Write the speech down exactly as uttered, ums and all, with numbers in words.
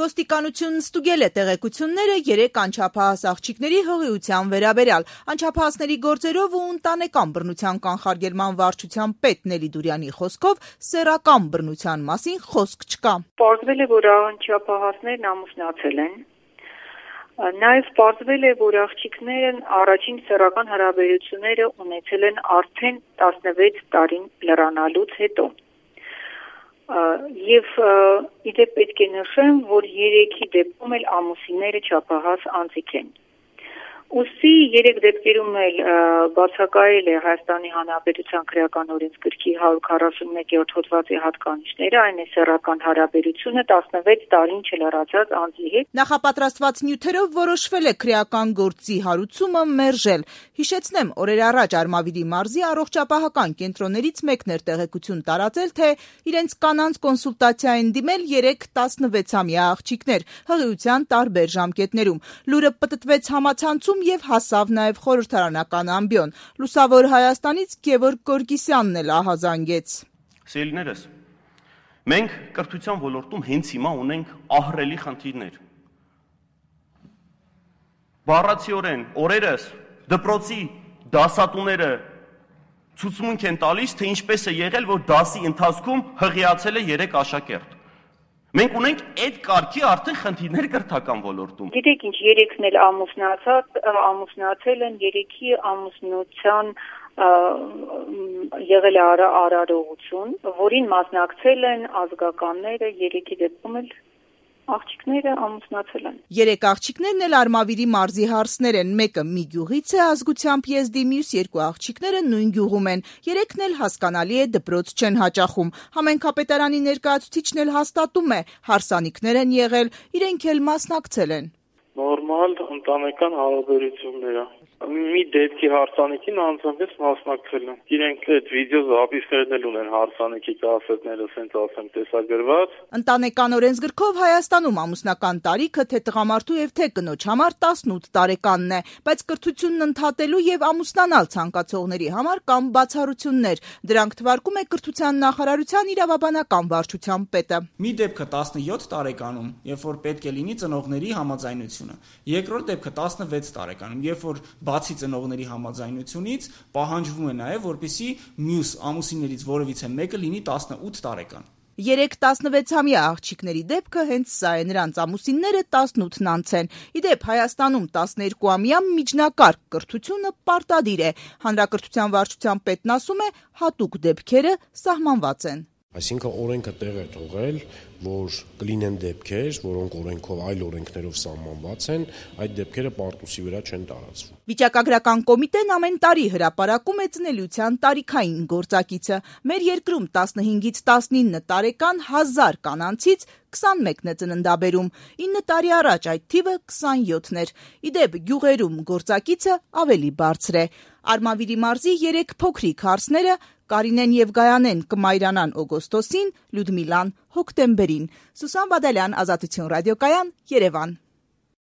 Ոստիկանությունն ստուգել է տեղեկությունները երեք անչափահաս աղջիկների հղիության վերաբերյալ։ Անչափահասների գործերով ու ընտանեկան բռնության կանխարգելման վարչության պետ Նելի Դուրյանի խոսքով սեռական բռնության մասին խոսք չկա։ Պարզվել է, որ անչափահասներն ամուսնացել են։ Նաև պարզվել է, որ աղջիկներն առաջին սեռական հարաբերությունները ունեցել են արդեն տասնվեց տարին լրանալուց հետո։ Եվ իդեպ պետք է նշեմ, որ երեքի դեպքում էլ ամուսինները չափահաս անձիկ են։ Ուստի երեք դեպքերում էլ բացակայել է Հայաստանի Հանրապետության քրեական օրենսգրքի հարյուր քառասունմեկերորդ հոդվածի հատկանիշները, այն է սեռական հարաբերությունը տասնվեց տարին չլրացած անձի հետ։ Նախապատրաստված նյութերով որոշվել է քրեական գործի հարուցումը մերժել։ Հիշեցնեմ, օրեր առաջ Արմավիրի մարզի առողջապահական կենտրոններից մեկն էր տեղեկություն տարածել, թե իրենց կանանց կոնսուլտացիա են դիմել երեք տասնվեցամյա աղջիկներ հղիության տարբեր ժամկետներում։ Լուրը պտտվեց համացանցում եւ հասավ նաեւ խորհրդարանական ամբիոն։ Լուսավոր Հայաստանից Գևորգ Գորգիսյանն էլ ահազանգեց։ Սիրելիներս, մենք կրթության ոլորտում հենց հիմա ունենք ահռելի խնդիրներ։ Բառացիորեն օրերս դպրոցի դասատուները ցուցմունք են տալիս, թե ինչպես է եղել, որ դասի ընթացքում հղիացել է երեք աշակերտ։ Մենք ունենք այդ կարգի արդեն խնդիրներ կրթական ոլորտում։ Գիտեք ինչ, երեքն էլ ամուսնացած, ամուսնացել են, երեքի ամուսնության եղել է արարողություն, որին մասնակցել են ազգականները, երեքի դեպքում էլ աղջիկները ամուսնացել են։ Երեք աղջիկներն էլ Արմավիրի մարզի հարսներ են, մեկը մի գյուղից է ազգությամբ եզդի, մյուս երկու աղջիկները նույն գյուղում են։ Երեքն էլ հասկանալի է դպրոց չեն հաճախում։ Համենքապետարանի ներկայացուցիչն էլ հաստատում է, հարսանիքներ են եղել, իրենք էլ մասնակցել են։ Նորմալ ընտանեկան հարաբերություններ է։ Մի դեպքի հարսանիքին անձամբ մասնակցել եմ։ Իրենք այդ վիդեո զապիսներն էլ ունեն հարսանիքի կասետները, ասենց ասեմ, տեսագրված։ Ընտանեկան օրենսգրքով Հայաստանում ամուսնական տարիքը թե տղամարդու եւ թե կնոջ համար տասնութ տարեկանն է, բայց կրթությունն ընդհատելու եւ ամուսնանալ ցանկացողների համար կան բացառություններ։ Դրանք թվարկում է կրթության նախարարության իրավաբանական վարչության պետը։ Մի դեպքը տասնյոթ տարեկանում, երբ որ պետք է լինի ծնողների համաձայնությունը։ Երկրորդ դեպքը տասնվեց տարեկանում, երբ որ բացի ծնողների համաձայնությունից պահանջվում է նաև, որպեսզի մյուս ամուսիններից որևիցե մեկը լինի տասնութ տարեկան։ Երեք տասնվեցամյա աղջիկների դեպքը հենց սա է, նրանց ամուսինները տասնութն անց են։ Իդեպ Հայաստանում տասներկուամյա միջնակարգ կրթությունը պարտադիր է։ Հանրակրթության վարչության պետն ասում է, հատուկ դեպքերը սահմանված են։ Այսինքն օրենքը տեղ է թողել, որ կլինեն դեպքեր, որոնք օրենքով այլ օրենքներով սահմանված են, այդ դեպքերը պարտուսի վրա չեն տարածվում։ Վիճակագրական կոմիտեն ամեն տարի հրապարակում է ծնելիության տարիքային գործակիցը։ Մեր երկրում տասնհինգից տասնինը տարեկան հազար կանանցից քսանմեկն է ծննդաբերում, ինը տարի առաջ այդ թիվը քսանյոթն էր։ Իդեպ գյուղերում գործակիցը ավելի բարձր է։ Արմավիրի մարզի երեք փոքրիկ հարսները Կարինեն եւ Գայանեն կմայրանան օգոստոսին, Լյուդմիլան հոկտեմբերին։ Սուսան Բադալյան, Ազատություն ռադիոկայան, Երևան։